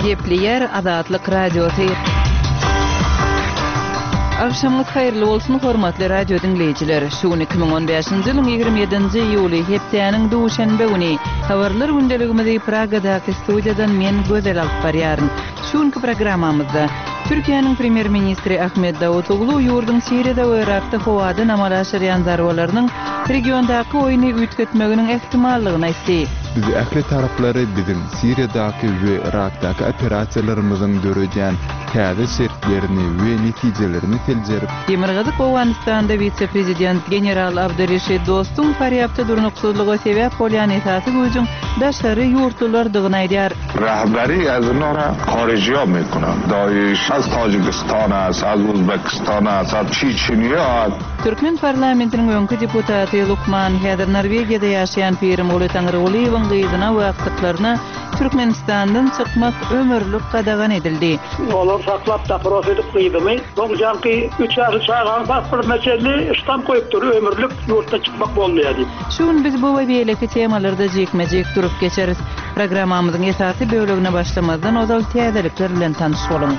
Gepleýär Azatlyk Radiosy. Agşamyňyz haýyrly bolsun, hormatly radio diňleýjiler! Şu gün 2015-nji ýylyň 27-nji iýuly, hepdäniň duşenbe güni. Habarlar gündeligimizi Pragadaky studiýadan men Gözel alyp barýaryn. Şu günki programmamyzda, Türkiýäniň premýer-ministri Ahmet Dawutoglu ýurduň Siriýada we Yrakda howadan amala aşyrýan zarbalarynyň regiondaky oýny üýtgetmeginiň ähtimallygyny aýtdy. Biz ähli taraplary biziň Siriýadaky we Yrakdaky operasiýalarymyzyň döredýän täze şertlerini we netijelerini seljerip, Demirgazyk Owganystanda wise-prezident general Abdureşid Dostum Farýabda durnuksyzlyga sebäp bolýan esasy güýjüň daşary ýurtlulardygyny aýdýar. Rahbari az onora horijiýa mekunan. Daiş az Tajikistan ast, az Uzbekistan ast, az Çeçeniýa ast. Türkmen parlamentiniň öňki deputaty, lukman, häzir Norwegiýada ýaşaýan Pirimguly Taňrygulyýewiň gyzyna we agtyklaryna Türkmenistandan çykmak ömürlik gadagan edildi. Olar saklap dopros edip gyzymy, soň jaňky üç ýaşly çaganyň pasportyna çenli ştamp goýupdyr, ömürlik ýurtdan çykmak bolmaýar diýip. Şu gün biz bu we beýleki temalarda jikme-jik durup geçeris. Programmamyzyň esasy bölegine başlamazdan ozal täzelikler bilen tanyş boluň.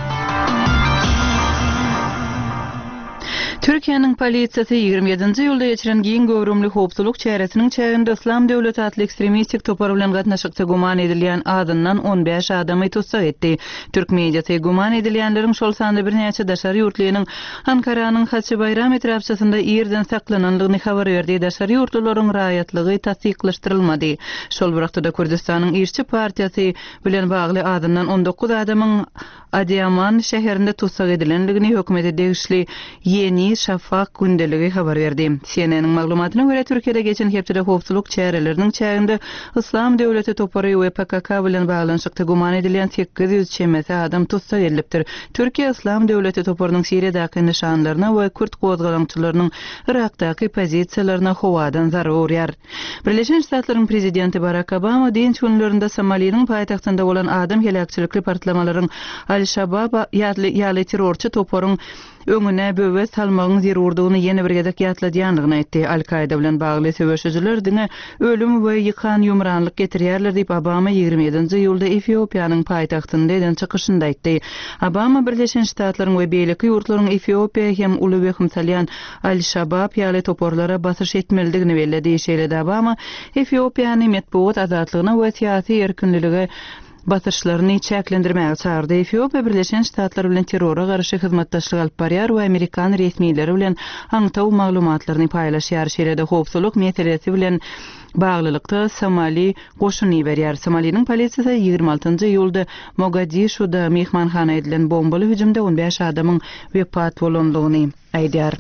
Türkiýäniň polisiýasy 27-nji iýulda geçiren giň göwrümli howpsuzlyk çäresiniň çäginde Yslam döwleti atly ekstremistik topar bilen gatnaşykda güman edilýän azyndan 15 adamy tussag etdi. Türk mediasy güman edilýänleriň, şol sanda birnäçe daşary ýurtlynyň Ankaranyň Haçybaýram etrapçasynda irden saklanandygyny habar berdi, daşary ýurtlularyň raýatlygy tassyklaşdyrylmady. Şol bir wagtda-da Kürdüstanyň Işçi partiýasy bilen bagly azyndan 19 adamyň Adyýaman şäherinde tussag edilendigini hökümete degişli Ýeni Şafak gündeligi habar berdi. CNN-iň maglumatyna görä, Türkiýede geçen hepdede howpsuzlyk çäreleriniň çäginde Yslam döwleti topary we PKK bilen baglanyşykda güman edilýän 800 çemesi adam tussag edilipdir. Türkiýe Yslam döwleti toparynyň Siriýadaky nyşanlaryna we kürt gozgalaňçylarynyň Yrakdaky pozisiýalaryna howadan zarba urýar. Birleşen Ştatlaryň prezidenti Barak Obama dynç günlerinde Somaliniň paýtagtynda bolan adam heläkçilikli partlamalaryň Al-Şabab ýaly terrorçy toparyň öňüne böwet salmagyň zerurdygyny ýene bir gezek ýatladýandygyny aýtdy. Al-Kaýda bilen bagly söweşijiler diňe ölüm we ýykan-ýumranlyk getirýärler diýip, Obama 27-nji iýulda Efiopiýanyň paýtagtynda eden çykyşynda aýtdy. Obama Birleşen Ştatlaryň we beýleki ýurtlaryň Efiopiýa hem uly wehim salýan Al-Şabab ýaly toparlara basyş etmelidigini belledi. Şeýle-de Obama Efiopiýany metbugat azatlygyna we syýasy erkinlilige basyşlaryny çäklendirmäge çagyrdy. Efiopiýa Birleşen Ştatlar bilen terrora garşy hyzmatdaşlyk alyp barýar we amerikan resmileri bilen aňtaw maglumatlaryny paýlaşýar, şeýle-de howpsuzlyk meselesi bilen baglylykda Somali goşun iberýär. Somaliniň polisiýasy 26-njy iýulda Mogadişuda myhmanhana edilen bombaly hüjümde 15 adamyň wepat bolandygyny aýdýar.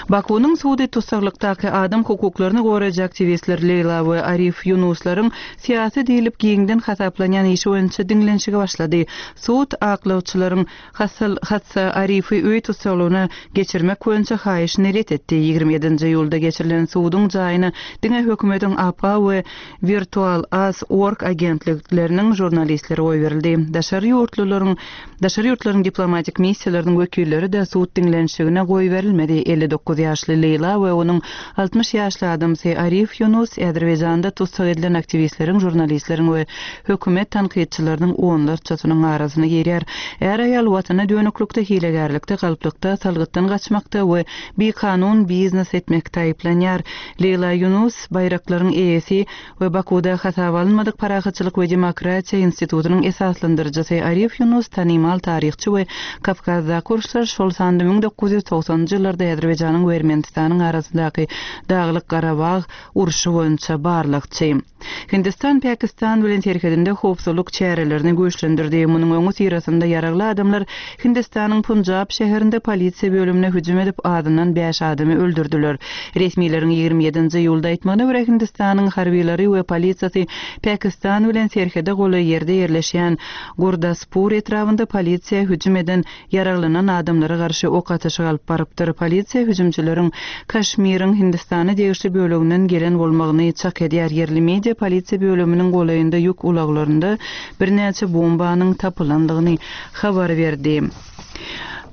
Bakunyň sudy tussaglykdaky adam hukuklaryny goraýjy aktiwistler Leýla we Arif Ýunuslaryň syýasy diýlip giňden hasaplanýan işi boýunça diňlenişige başlady. Sud aklawçylaryň Hasyl Hatsa Arifi öý tussaglygyna geçirmek boýunça haýyşyny ret etdi. 27-nji iýulda geçirilen suduň jaýyna diňe hökümetiň APA we Virtual Az org agentlikleriniň žurnalistleri goýberildi. Daşary ýurtlularyň Daşary ýurtlaryň diplomatik missiýalarynyň wekilleri-de sud diňlenişigine goýberilmedi. 59 ýaşly Leýla we onuň 60 ýaşly adamsy Arif Ýunus Azerbaýjanda tussag edilen aktiwistleriň, žurnalistleriň we hökümet tankytçylarynyň onlarçasynyň arasyna girýär. Är-aýal watana dönüklikde, hilegärlikde, galplykda, salgytdan gaçmakda we bikanun biznes etmekde aýyplanýar. Leýla Ýunus, baýraklaryň eýesi, we Bakuwda hasaba alynmadyk Parahatçylyk we demokratiýa institutynyň esaslandyryjysy Arif Ýunus tanymal taryhçy we Kawkazdaky uruşlar, şol sanda 1990-njy ýyllarda Azerbaýjanyň we Ermenistanyň arasyndaky Daglyk-Garabag urşy boýunça barlagçy. Hindistan Pakistan bilen serhedinde howpsuzlyk çärelerini güýçlendirdi. Munuň öňüsyrasynda ýaragly adamlar Hindistanyň Punjab şäherinde polisiýa bölümine hüjüm edip, azyndan bäş adamy öldürdiler. Resmileriň 27-nji iýulda aýtmagyna görä, Hindistanyň harbylary we polisiýasy Pakistan bilen serhede golaý ýerde ýerleşýän Gurdaspur etrabynda polisiýa hüjüm eden ýaraglanan adamlara garşy ok atyşyk alyp barypdyr. Polisiýa hüjümçileriň Kaşmiriň Hindistana degişli böleginden gelen bolmagyny çak edýär. Ýerli media polisiýa bölüminiň golaýynda ýük ulaglarynda birnäçe bombanyň tapylandygyny habar berdi.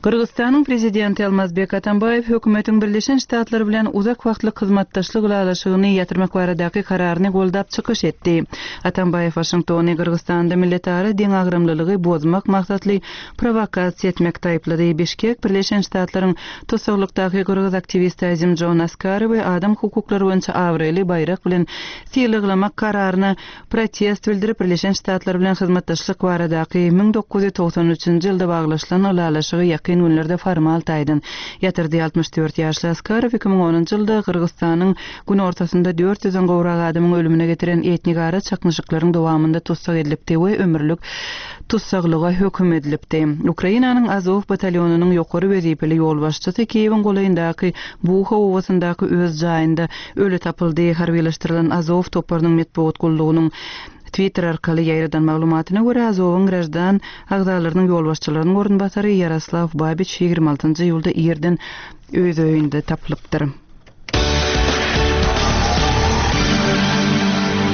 Gyrgyzystanyň Prezidenti Almazbek Atambaýew hökümetiň Birleşen Ştatlar bilen uzak wagtlyk hyzmatdaşlyk ylalaşygyny ýatyrmak baradaky kararyny goldap çykyş etdi. Atambaýew Waşingtony Gyrgyzystanda milletara deňagramlylygy bozmak maksatly prowokasiýa etmekde aýyplady. Bişkek Birleşen Ştatlaryň tussaglykdaky gyrgyz aktiwisti Azimjon Askarowy adam hukuklary boýunça abraýly baýrak bilen sylaglamak kararyna protest bildirip, Birleşen Ştatlar bilen hyzmatdaşlyk baradaky 1993-nji ýylda baglaşylan ylalaşygy ýakyn günlerde formal taýdan ýatyrdy. 64 ýaşly Askarow 2010-njy ýylda Gyrgyzystanyň günortasynda dört ýüzden gowrak adamyň ölümine getiren etnigara çaknyşyklaryň dowamynda tussag edilipdi we ömürlik tussaglyga höküm edilipdi. Ukrainanyň Azow batalýonynyň ýokary wezipeli ýolbaşçysy Kiýewiň golaýyndaky Buha obasyndaky öz jaýynda Öli tapyldy. Harbylaşdyrylan Azow toparynyň metbugat gullugynyň Twitter arkaly ýaýradan maglumatyna görä, Azowyň graždan agzalarynyň ýolbaşçylarynyň orunbasary Ýaroslaw Babiç 26 iýulda irden öz öýünde tapylypdyr.